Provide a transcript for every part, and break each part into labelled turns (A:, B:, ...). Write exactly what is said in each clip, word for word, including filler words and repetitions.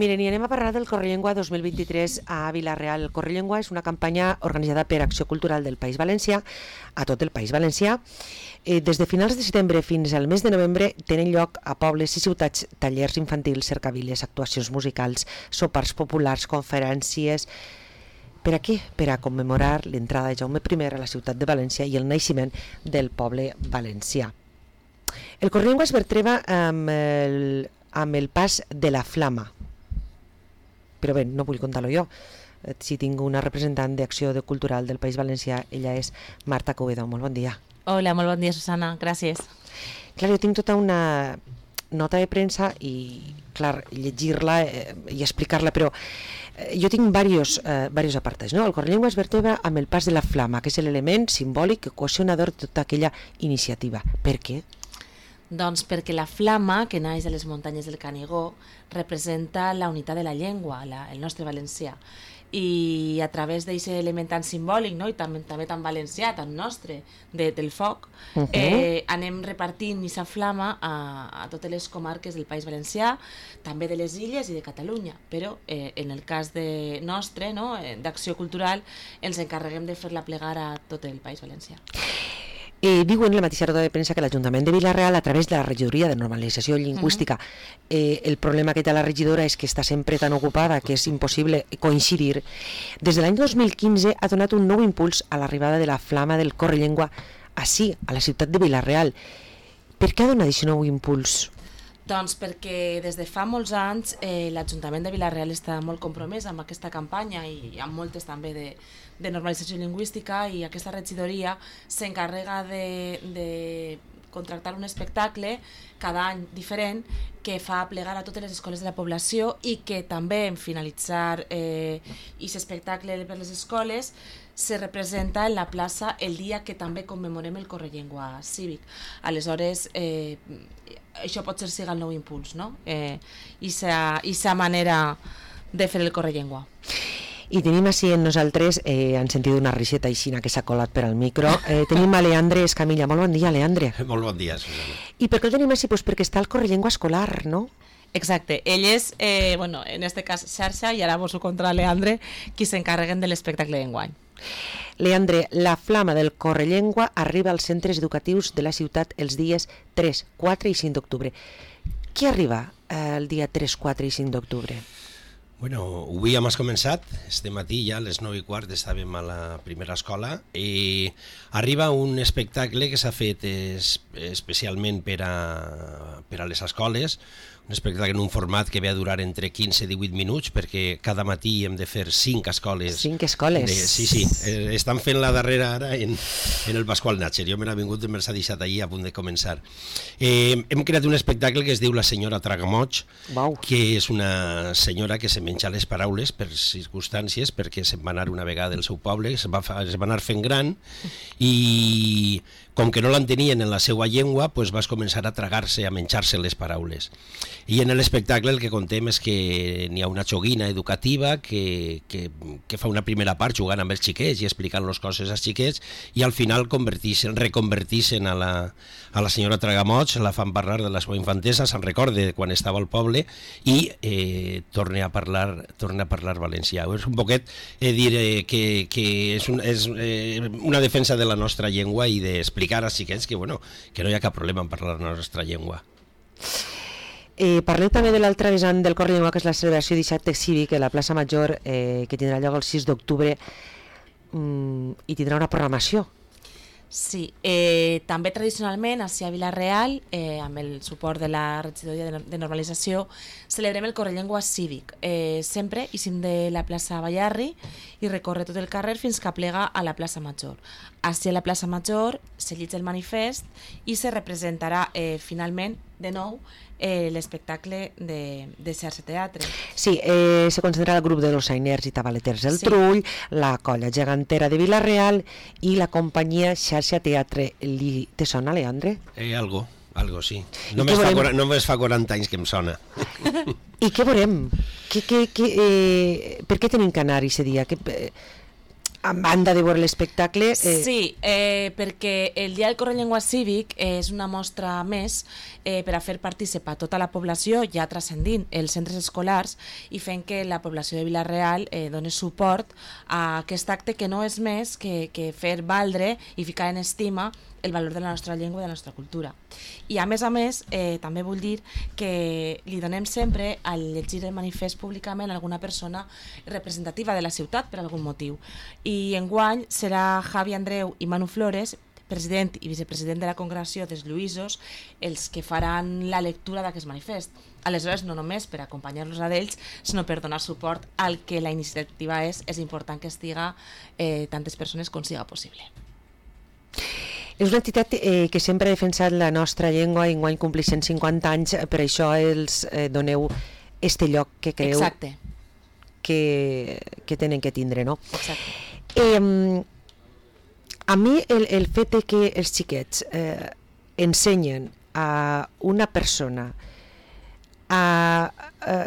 A: Miren, i anem a parlar del Correllengua dos mil vint-i-tres a Vila-real. El Correllengua és una campanya organitzada per Acció Cultural del País Valencià, a tot el País Valencià. Eh, des de finals de setembre fins al mes de novembre tenen lloc a pobles i ciutats tallers infantils, cercaviles, actuacions musicals, sopars populars, conferències. Per a què? Per a commemorar l'entrada de Jaume I a la ciutat de València i el naixement del poble valencià. El Correllengua es vertebra amb el, amb el pas de la Flama. Però bé, no vull contar-lo jo. Si tinc una representant d'Acció Cultural del País Valencià, ella és Marta Covedo. Molt bon dia.
B: Hola, molt bon dia, Susana. Gràcies.
A: Clar, jo tinc tota una nota de premsa i, clar, llegir-la eh, i explicar-la, però eh, jo tinc diversos, eh, diversos apartats, no? El Correllengua es vertebra amb el pas de la Flama, que és l'element simbòlic cohesionador de tota aquella iniciativa. Per què?
B: Doncs perquè la flama, que naix a les muntanyes del Canigó, representa la unitat de la llengua, la, el nostre valencià. I a través d'aquest element tan simbòlic, no? I també, també tan valencià, tan nostre, de, del foc, uh-huh. eh, anem repartint aquesta flama a, a totes les comarques del País Valencià, també de les illes i de Catalunya, però eh, en el cas de nostre, no? eh, d'Acció Cultural, ens encarreguem de fer-la plegar a tot el País Valencià.
A: Eh, diu en la mateixa nota de premsa que l'Ajuntament de Vila-real, a través de la regidoria de normalització lingüística, uh-huh. eh, el problema que té la regidora és que està sempre tan ocupada que és impossible coincidir. Des de l'any dos mil quinze ha donat un nou impuls a l'arribada de la Flama del Correllengua ací, a la ciutat de Vila-real. Per què ha donat aquest nou impuls?
B: Doncs perquè des de fa molts anys eh, l'Ajuntament de Vila-real està molt compromès amb aquesta campanya i amb moltes també de, de normalització lingüística, i aquesta regidoria s'encarrega de, de contractar un espectacle cada any diferent que fa plegar a totes les escoles de la població, i que també en finalitzar eh, aquest espectacle per les escoles se representa en la plaça el dia que també commemorem el Correllengua cívic. Aleshores, eh, això pot ser siga el nou impuls, no? Eh, i sa manera de fer el Correllengua.
A: I tenim així en nosaltres, eh, han sentit una riseta aixina que s'ha colat per al micro, eh, tenim a Leandre Escamilla. Molt bon dia, Leandre.
C: Molt bon dia, Susana.
A: I per què el tenim així? Pues perquè està el Correllengua escolar, no?
B: Exacte, ell és, eh, bueno, en este cas xarxa, i ara vos ho contra Leandre, qui s'encarreguen de l'espectacle d'enguany.
A: Leandre, la Flama del Correllengua arriba als centres educatius de la ciutat els dies tres, quatre i cinc d'octubre. Qui arriba eh, el dia tres, quatre i cinc d'octubre?
C: Bueno, avui hem començat, este matí ja a les nou i quart estàvem a la primera escola, i arriba un espectacle que s'ha fet es, especialment per a, per a les escoles, un espectacle en un format que ve a durar entre quinze i divuit minuts, perquè cada matí hem de fer cinc escoles.
A: Cinc escoles?
C: De, sí, sí, eh, estan fent la darrera ara en, en el Pasqual Natxer. Jo me n'ha vingut i me l'ha deixat allí a punt de començar. Eh, hem creat un espectacle que es diu La senyora Tragamoig, wow. que és una senyora que se menja les paraules per circumstàncies, perquè se'n va anar una vegada del seu poble, es va, es va anar fent gran, i com que no l'entenien en la seva llengua, pues vas començar a tragar-se, a menjar-se les paraules. I en l'espectacle el que contem és que n'hi ha una joguina educativa que, que, que fa una primera part jugant amb els xiquets i explicant les coses als xiquets, i al final reconvertixen a la, a la senyora Tragamoig, la fan parlar de la seva infantesa, se'n recorda de quan estava al poble, i eh, torna a parlar torna a parlar valencià. És un poquet eh, dir eh, que, que és, un, és eh, una defensa de la nostra llengua i d'explicar als xiquets que, bueno, que no hi ha cap problema en parlar la nostra llengua.
A: Eh, parleu també de l'altre vessant del Correllengua, que és la celebració d'acte cívic a la plaça Major, eh, que tindrà lloc el sis d'octubre, mm, i tindrà una programació.
B: Sí, eh, també tradicionalment a Vila-real, eh, amb el suport de la regidoria de normalització, celebrem el Correllengua cívic. Eh, sempre ixim de la plaça Ballarri i recorre tot el carrer fins que plega a la plaça Major. Així a la plaça Major se llig el manifest i se representarà eh, finalment de nou eh, l'espectacle de, de xarxa teatre.
A: Sí, eh, se concentrarà el grup de dolçainers i tabaleters del sí. Trull, la colla gegantera de Vila-real i la companyia xarxa teatre. Li, te sona, Leandre?
C: Eh, algo, algo, sí. Només fa, veurem... només fa quaranta anys que em sona.
A: I què veurem? Que, que, que, eh, per què tenim que anar aquest dia? Que, eh, a banda de veure l'espectacle...
B: Eh... Sí, eh, perquè el Dia del Correllengua Cívic és una mostra més eh, per a fer participar tota la població, ja transcendint els centres escolars i fent que la població de Vila-real eh, doni suport a aquest acte que no és més que, que fer valdre i ficar en estima el valor de la nostra llengua i de la nostra cultura. I a més a més, eh, també vull dir que li donem sempre al llegir el manifest públicament a alguna persona representativa de la ciutat per algun motiu. I enguany serà Javi Andreu i Manu Flores, president i vicepresident de la Congregació dels Lluïsos, els que faran la lectura d'aquest manifest. Aleshores, no només per acompanyar-los a d'ells, sinó per donar suport al que la iniciativa és, és important que estiga eh, tantes persones com siga possible.
A: És una entitat eh, que sempre ha defensat la nostra llengua i enguany compleix cent cinquanta anys, per això els eh, doneu este lloc que creu
B: Exacte.
A: que, que tenen que tindre, no?
B: Exacte.
A: Eh, a mi el, el fet de que els xiquets eh, ensenyen a una persona a, a,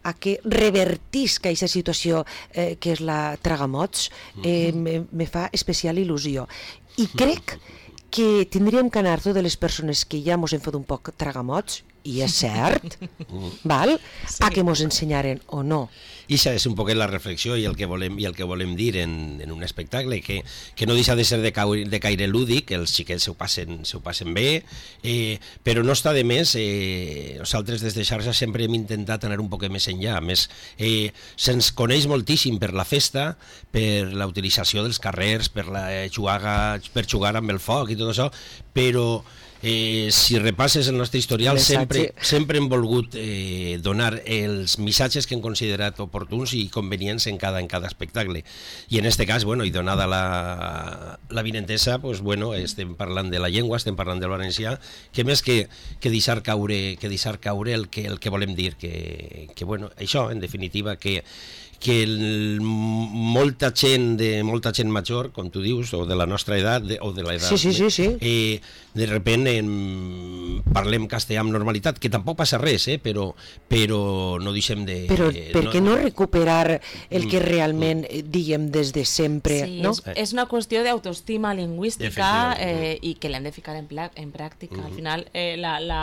A: a que revertisca aquesta situació eh, que és la tragamots, eh, me, me fa especial il·lusió. I crec que tindríem que anar totes les persones que ja mos hem fet un poc tragamots, i és cert, val? Sí. A que mos ensenyaren o no.
C: I això és un poquet la reflexió i el que volem, i el que volem dir en, en un espectacle, que, que no deixa de ser de, caure, de caire lúdic, els xiquets se ho passen, se ho passen bé, eh, però no està de més, eh, nosaltres des de xarxa sempre hem intentat anar un poc més enllà, a més eh, se'ns coneix moltíssim per la festa, per la utilització dels carrers, per, la, eh, jugar, per jugar amb el foc i tot això, però Eh, si repasses el nostre historial, sempre, sempre hem volgut eh, donar els missatges que hem considerat oportuns i convenients en cada, en cada espectacle. I en este cas, bueno, i donada la, la vinentesa, pues, bueno, estem parlant de la llengua, estem parlant del valencià, que més que, que deixar caure, que deixar caure el, que, el que volem dir, que, que bueno, això, en definitiva, que que el, molta gent de molta gent major, com tu dius, o de la nostra edat, de, o de l'edat,
A: sí, sí, sí, sí.
C: Eh, de repent en, parlem castellà amb normalitat, que tampoc passa res, eh, però, però no deixem de...
A: Però per què no, no recuperar el que realment mm. diguem des de sempre?
B: Sí,
A: no?
B: és, és una qüestió d'autoestima lingüística eh, i que l'hem de ficar en, pla, en pràctica. Mm. Al final, eh, la, la,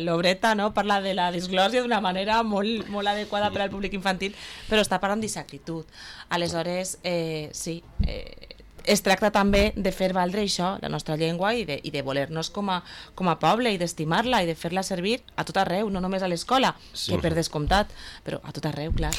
B: l'obreta no, parla de la disglòsia d'una manera molt, molt adequada per al públic infantil, però està parlant d'actitud. Aleshores, eh, sí, eh, es tracta també de fer valdre això, la nostra llengua, i de, i de voler-nos com a, com a poble, i d'estimar-la, i de fer-la servir a tot arreu, no només a l'escola, sí. que per descomptat, però a tot arreu, clar.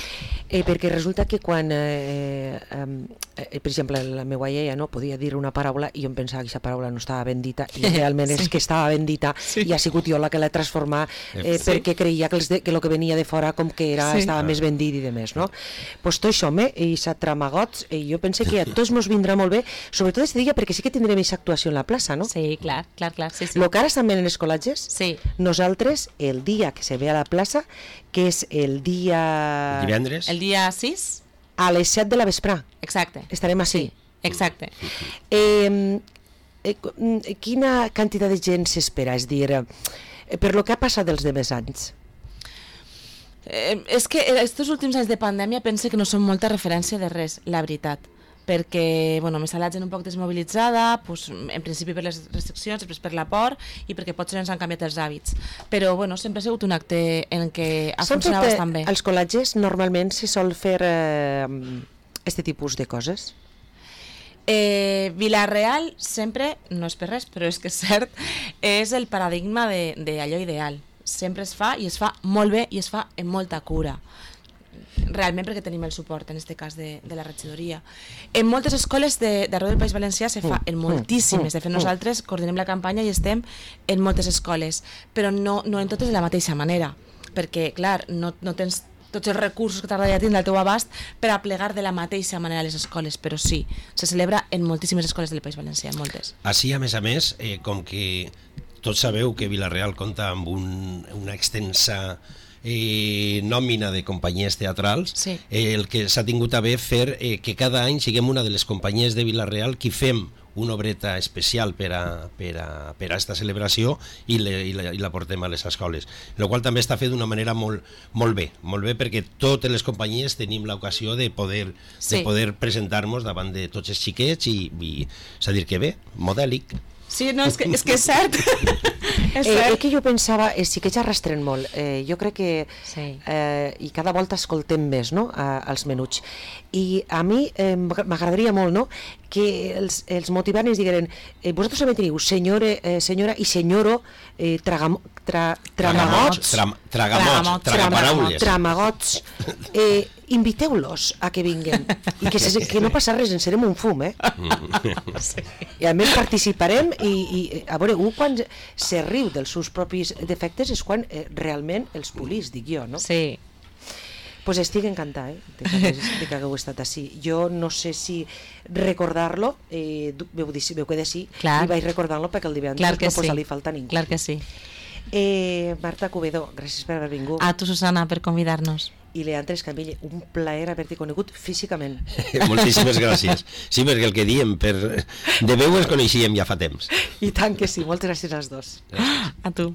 A: Eh, perquè resulta que quan, eh, eh, per exemple, la meva iaia no, podia dir una paraula i jo em pensava que aquesta paraula no estava ben dita, i realment sí. és que estava ben dita, sí. i ha sigut jo la que l'he transformat, eh, sí. perquè creia que, els de, que el que venia de fora com que era, sí. estava ah. més ben dit i de més, no? Pues tot això, me, i s'ha tramagots, i jo pense que a tots mos vindrà molt bé, sobretot aquest dia, perquè sí que tindrem aquesta actuació en la plaça, no?
B: Sí, clar, clar, clar. Sí, sí.
A: Lo que ara estan en els col·legis,
B: sí.
A: nosaltres, el dia que se ve a la plaça, que és el dia...
C: Divendres?
B: El dia sis?
A: A les set de la vesprà.
B: Exacte.
A: Estarem així.
B: Sí, exacte.
A: Eh, eh, quina quantitat de gent s'espera? És dir, eh, per lo que ha passat els demés anys?
B: Eh, és que aquests últims anys de pandèmia pense que no són molta referència de res, la veritat. Perquè bueno, m'està la gent un poc desmobilitzada, pues, en principi per les restriccions, després per la por i perquè potser ens han canviat els hàbits. Però bueno, sempre ha sigut un acte en què ha funcionat bastant bé.
A: Als col·legis normalment se sol fer eh, este tipus de coses?
B: Eh, Vila-real sempre, no és per res, però és que és cert, és el paradigma d'allò ideal. Sempre es fa i es fa molt bé i es fa amb molta cura. Realment perquè tenim el suport, en aquest cas, de, de la regidoria. En moltes escoles d'arreu del País Valencià se fa, en moltíssimes. De fet, nosaltres coordinem la campanya i estem en moltes escoles, però no, no en totes de la mateixa manera, perquè, clar, no, no tens tots els recursos que t'agradaria tindre al teu abast per a plegar de la mateixa manera a les escoles, però sí, se celebra en moltíssimes escoles del País Valencià, en moltes.
C: Així, a més a més, eh, com que tots sabeu que Vila-real compta amb un, una extensa Eh, nòmina de companyies teatrals,
B: sí.
C: eh, el que s'ha tingut a bé fer eh, que cada any siguem una de les companyies de Vila-real qui fem una obreta especial per a, per a, per a esta celebració i, le, i, la, i la portem a les escoles, el qual també està fet d'una manera molt, molt bé, molt bé perquè totes les companyies tenim l'ocasió de poder, sí. de poder presentar-nos davant de tots els xiquets i, i és a dir que bé, modèlic.
B: Sí, no, és que és, que és cert.
A: és eh, cert. Eh, que jo pensava, eh, sí que ja arrastren molt, eh, jo crec que sí. eh, i cada volta escoltem més, no?, a, als menuts, i a mi eh, m'agradaria molt, no?, que els, els motivants digueren, eh, vosaltres també teniu senyora, eh, senyora i senyoro eh, tragam, tra, tramagots,
C: tragamots, tragaparaules,
A: tramagots, eh, inviteu-los a que vinguen i que, se, que no passa res, en serem un fum, eh? Sí. I a més participarem i, i a veure, un quan se riu dels seus propis defectes és quan eh, realment els polís, dic jo, no?
B: Sí.
A: Pues estic encantada, eh, de que, de que hagueu estat així. Jo no sé si recordar-lo, eh, veu, dir, veu que de sí,
B: clar.
A: I vaig recordar-lo perquè el divendres no posa li falta ningú.
B: Clar que sí.
A: Eh, Marta Cubedo, gràcies per haver vingut.
B: A tu, Susana, per convidar-nos.
A: I Leandre Escamilla, un plaer haver-t'hi conegut físicament.
C: Moltíssimes gràcies. Sí, perquè el que diem, per... de veu ens coneixíem ja fa temps.
A: I tant que sí, moltes gràcies als dos.
B: Gràcies. A tu.